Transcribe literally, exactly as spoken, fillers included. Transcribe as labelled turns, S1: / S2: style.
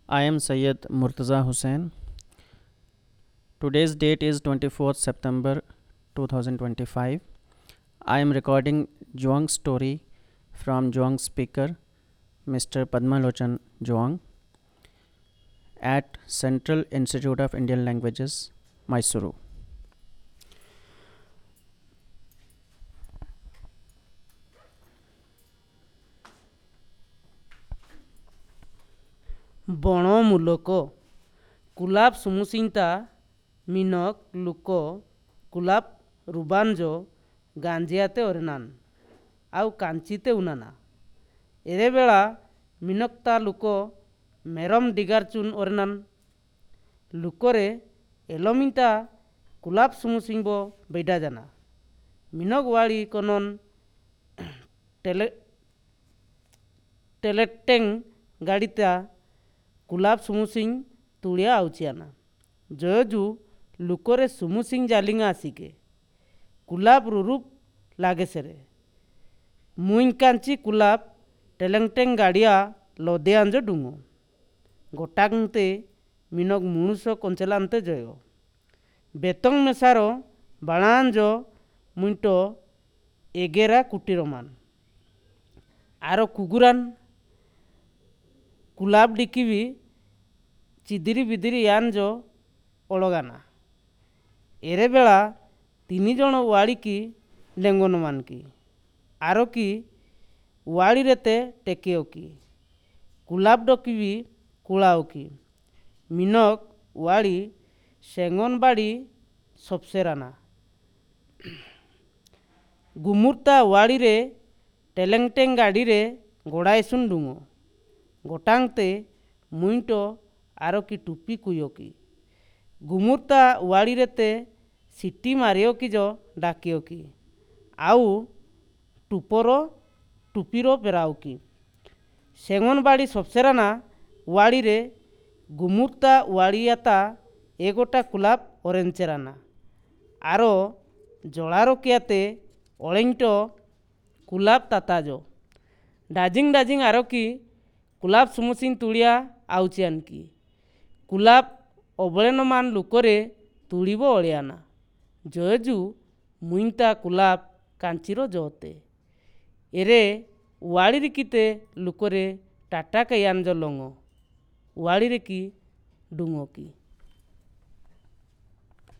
S1: I am Syed Murtaza Hussain. Today's date is twenty-fourth September two thousand twenty-five. I am recording Juang story from Juang speaker Mister Padmalochan Juang at Central Institute of Indian Languages, Mysuru.
S2: ବଣମୂଲକ କୁଲାବ ସୁମୁସିଂତା ମିନକ ଲୁକ କୁଲାବ ରୁବାନଜ ଗାଞ୍ଜିଆତେ ଅରେନାନ ଆଉ କାଞ୍ଚିତେ ଉନାନା। ଏରେବେଳା ମିନକତା ଲୁକ ମେରମ ଡିଗାରଚୁନ ଅରେନାନ। ଲୁକରେ ଏଲମିନ୍ତା କୁଲାବ ସୁମୁସିଂବ ବେଇଡାଜାନା। ମିନକ ୱାଳି କନନ ଟେଲେ ଟେଲେଟେଙ୍ଗ ଗାଡ଼ିତା କୁଲାବ ସୁମୁସିଂ ତୁଳିଆ ଆଉଚିଆନା। ଜୟଜୁ ଲୁକରେ ସୁମୁସିଂ ଜାଲିଙ୍ଗା ଆସିକେ। କୁଲାବ ରୁରୁପ ଲାଗେସେରେ। ମୁଇଁ କାଞ୍ଚି କୁଲାବ ଟେଲେଂଟେଂ ଗାଡ଼ିଆ ଲଦେଆଞ୍ଜ ଡୁଙ୍ଗୋ। ଗୋଟାଂତେ ମିନକ ମୁଣୁଷ କଞ୍ଚେଲାନ୍ତେ ଜୟ। ବେତଂ ମେସାର ବାଣାଞ୍ଜ ମୁଇଁଟ ଏଗେରା କୁଟୀରମାନ। ଆର କୁଗୁରାନ କୁଲାବ ଡିକିବି ଚିଦିରି ବିଦିରି ୟାଞ୍ଜ ଅଳଗାନା। ଏରେବେଳା ତିନି ଜଣ ୱାଳିକି ଡେଙ୍ଗନମାନକି। ଆରକି ୱାଳିରେତେ ଟେକେଅକି। କୁଲାବ ଡକିବି କୁଳାଅକି। ମିନକ ୱାଳି ସେଙ୍ଗନବାଡ଼ି ସବସେରାନା। ଗୁମୁର୍ତା ୱାଳିରେ ଟେଲେଂଟେଂ ଗାଡ଼ିରେ ଗୋଡ଼ାଇସୁନ ଡୁଙ୍ଗୋ। ଗୋଟାଂତେ ମୁଇଁଟ Arki ଟୁପି କୁୟକି। ଗୁମୁର୍ତା ୱାଳିରେତେ city ମାରିଅକି ଜ ଡାକିଅକି। ଆଉ ଟୁପର ଟୁପିର ପେରାଉକି। ସେଙ୍ଗନବାଡ଼ି ସବସେରାନା ୱାଳିରେ ଗୁମୁର୍ତା ୱାଳିଆତା ଏଗୋଟା କୁଲାବ ଅରେଞ୍ଚେରାନା। ଆର ଜଳାରକିଆତେ ଅଳେଇଁଟ କୁଲାବ ତାତାଜ। ଡାଜିଂ ଡାଜିଂ ଆରକି କୁଲାବ ସୁମୁସିଂ ତୁଳିଆ ଆଉଚିଆନକି। କୁଲାବ ଅବଳେନମାନ ଲୁକରେ ତୁଳିବ ଅଳିଆନା। ଜୟଜୁ ମୁଇଁତା କୁଲାବ କାଞ୍ଚିର ଜଅତେ। ଏରେ ୱାଳିରିକିତେ ଲୁକରେ ଟାଟା କାୟାଞ୍ଜ ଲଙ୍ଗ। ୱାଳିରେ କି ଡୁଙ୍ଗକି।